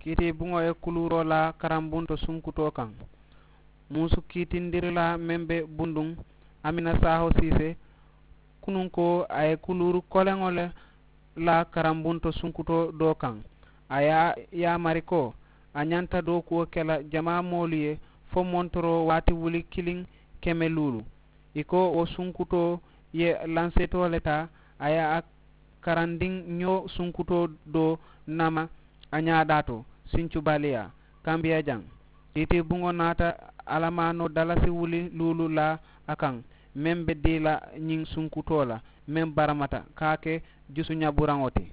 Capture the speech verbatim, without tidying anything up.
Kiiti buŋo ye kuluuroo la karambunto sunkutoo kaŋ. Muusu kiitindirilaa meŋ be bunduŋ, amina saaho siisee kunuŋ ko a ye kuluuru koleŋo le la karambunto sunkutoo doo kaŋ. A ye a yaamari ko a ñanta dookuwo ke la jamaa moolu ye fo montoroo waati wuli kiliŋ keme luulu. Ì ko wo sunkutoo ye lansetoo le taa. A ye a karandiŋ ñoo sunkutoo doo nama a ñaadaa to sincubaaliyaa kambiya jaŋ. Kiiti buŋo naata alamaanoo dalasi wuli luulu laa a kaŋ meŋ be dii la ñiŋ sunkutoo la meŋ baramata ka a ke jusu ñaburaŋo ti.